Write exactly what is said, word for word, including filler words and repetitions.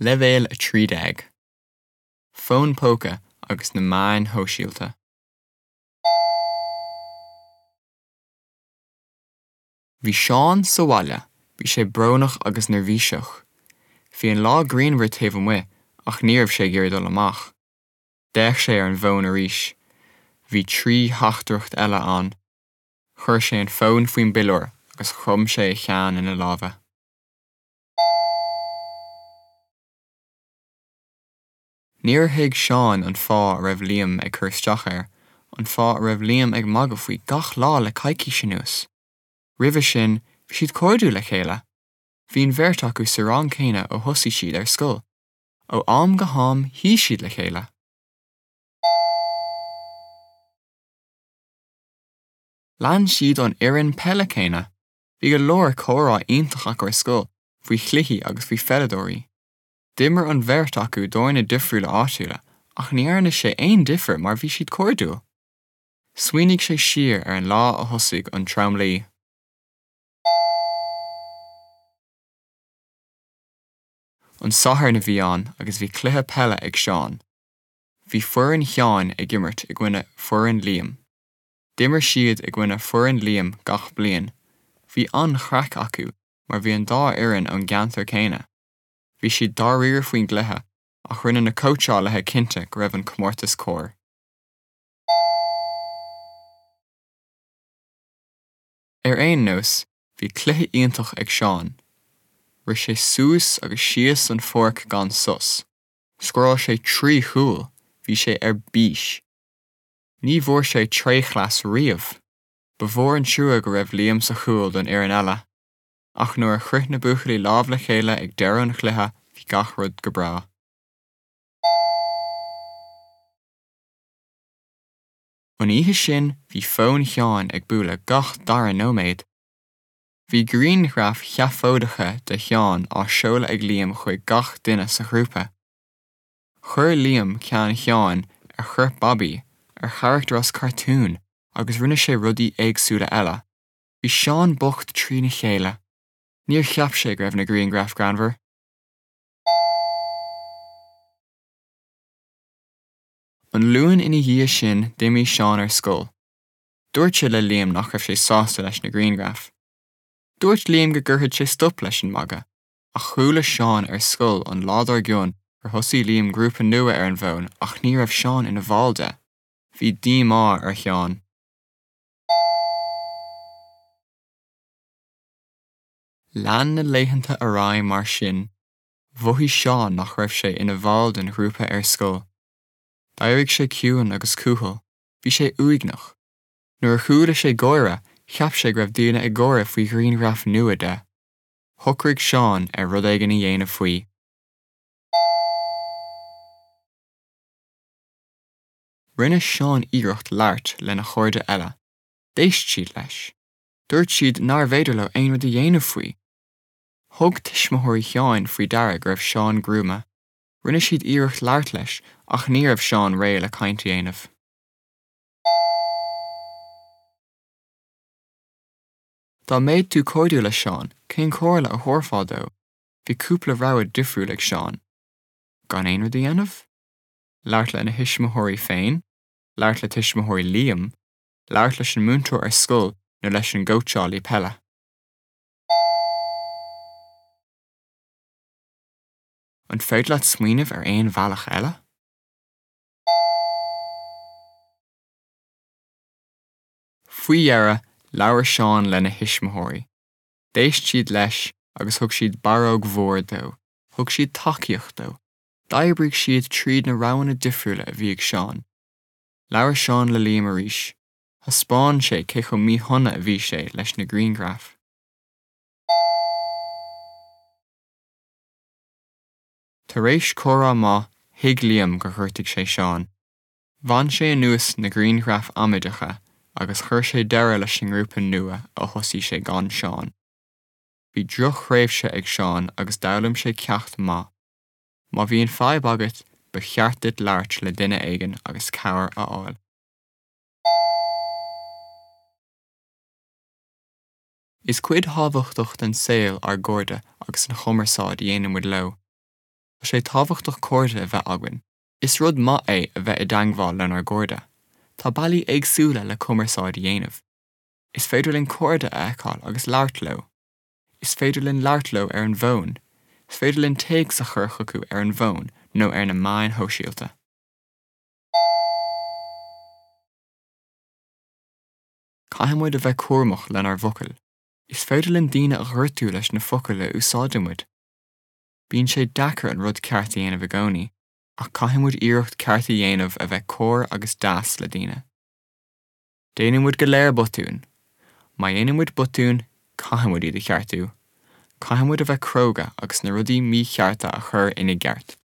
Leibhéal a trí déag. Fón póca agus na meáin shóisialta. Bhí Seán sa bhaile, bhí sé brónach agus neirbhíseach. Bhí an lá grianmhar taobh amuigh ach ní raibh sé ag iarraidh dul amach. D'fhéach sé ar an bhfón arís. Bhí trí theachtaireacht eile ann. Chuir sé an fón faoin bpiliúr agus chrom sé a cheann ina lámha. Níor thuig Seán an fáth a raibh Liam ag cur isteach air, an fáth a raibh Liam ag magadh faoi gach lá le coicís anuas. Roimhe sin, bhí siad cairdiúil le chéile. Bhí an bheirt acu sa rang céanna ó thosaigh siad ar scoil. Ó am go ham shuigh siad le chéile. Lean siad an fhoireann peile céanna. Bhí go leor comhrá iontach acu ar scoil faoi chluichí agus faoi pheileadóirí. D'imir an bheirt acu d'fhoirne difriúla áitiúla, ach ní dhearna sé aon difear mar bhí siad cairdiúil. Smaoinigh sé siar ar an lá a thosaigh an tromluí. An Satharn a bhí ann agus bhí cluiche peile ag Seán. Bhí foireann Sheáin ag imirt i gcoinne foireann Liam. D'imir siad i gcoinne foireann Liam gach bliain. Bhí an-chraic acu mar bhí an dá fhoireann ón gceantar céanna. Bhí siad dáiríre faoin gcluiche ach rinne na cóitseálaithe cinnte go raibh an comórtas cóir. Ar aon nós, bhí cluiche iontach ag Seán. Rith sé suas agus síos an pháirc gan sos. Scóráil sé trí chúl, bhí sé ar bís. Ní bhfuair sé tréchleas riamh. Ba mhór an trua go raibh Liam sa chúl don fhoireann eile. Ach nuair a chroith na buachaillí lámh le chéile ag deireadh an chluiche, bhí gach rud go breá. An oíche sin, bhí fón Sheáin ag bualadh gach dara nóiméad. Bhí grianghraif sheafóideacha de Sheán á seoladh ag Liam chuig gach duine sa ghrúpa. Chuir Liam ceann Sheáin ar chorp Bobby, ar charachtar as cartún, agus rinne sé rudaí éagsúla eile. Bhí Seán bocht trína chéile. Níor cheap sé go raibh na grianghraif greannmhar. An Luan ina dhiaidh sin, d'imigh Seán ar scoil. Dúirt sé le Liam nach raibh sé sásta leis na grianghraif. Dúirt Liam go gcuirfeadh sé stop leis an magadh, ach chuala Seán ar scoil an lá dár gcionn gur thosaigh Liam grúpa nua ar an bhfón ach ní raibh Seán ina bhall de. Bhí díomá ar Sheán. Lean na laethanta ar aghaidh mar sin. Mhothaigh Seán nach raibh sé ina bhall den ghrúpa ar scoil. D'éirigh sé ciúin agus cúthail. Bhí sé uaigneach. Nuair a chuala sé gáire, cheap sé go raibh daoine ag gáire faoi ghrianghraf nua de. Shocraigh Seán ar rud éigin a dhéanamh faoi. Rinne Seán iarracht labhairt lena chairde eile. D'éist siad leis. Dúirt siad nárbh fhéidir leo aon rud a dhéanamh faoi. Thug tuismitheoirí Sheáin faoi deara go raibh Seán gruama. Rinne siad iarracht labhairt leis ach ní raibh Seán réidh le caint a dhéanamh. Dá mbeadh tú cairdiúil le Seán, cén chomhairle a thabharfá dó? Bhí cúpla rogha difriúil ag Seán. Gan aon rud a dhéanamh? Labhairt lena thuismitheoirí féin, labhairt le tuismitheoirí Liam, labhairt leis an múinteoir ar scoil nó leis an gcóitseálaí peile. An féidir leat smaoineamh ar aon bhealach eile? Faoi dheireadh, labhair Seán lena thuismitheoirí. D'éist siad leis agus thug siad barróg mhór dó. Thug siad tacaíocht dó. D'oibrigh siad tríd na roghanna difriúla a bhí ag Seán. Labhair Seán le Liam arís. Thaispeáin sé cé chomh míshona a bhí sé leis na grianghraif. Tar éis comhrá maith, thuig Liam gur ghortaigh sé Seán. Bhain sé anuas na grianghraif amaideacha agus chuir sé deireadh leis an ngrúpa nua a thosaigh sé gan Seán. Bhí drochthréimhse ag Seán agus d'fhoghlaim sé ceacht maith. Má bhíonn fadhb agat, ba cheart duit labhairt le duine éigin agus cabhair a fháil. Is cuid thábhachtach den saol ár gcairde agus an chumarsáid a dhéanann muid leo. Tá sé tábhachtach cairde a bheith againn. Is rud maith é a bheith i dteagmháil lenár gcairde. Tá bealaí éagsúla le cumarsáid a dhéanamh. Is féidir linn cairde a fheiceáil agus labhairt leo. Is féidir linn labhairt leo ar an bhfón. Is féidir linn téacs a chur chucu ar an bhfón nó ar na meáin shóisialta. Caithfidh muid a bheith cúramach lenár bhfocail. Is féidir linn daoine a ghortú leis na focail a úsáideann muid. Bíonn sé deacair an rud ceart a dhéanamh i gcónaí, ach caithfidh muid iarracht ceart a dhéanamh a bheith cóir agus deas le daoine. Déanann muid go léir botúin. Má dhéanann muid botúin, caithfidh muid iad a cheartú. Caithfidh muid a bheith cróga agus na rudaí míchearta a chur ina gceart.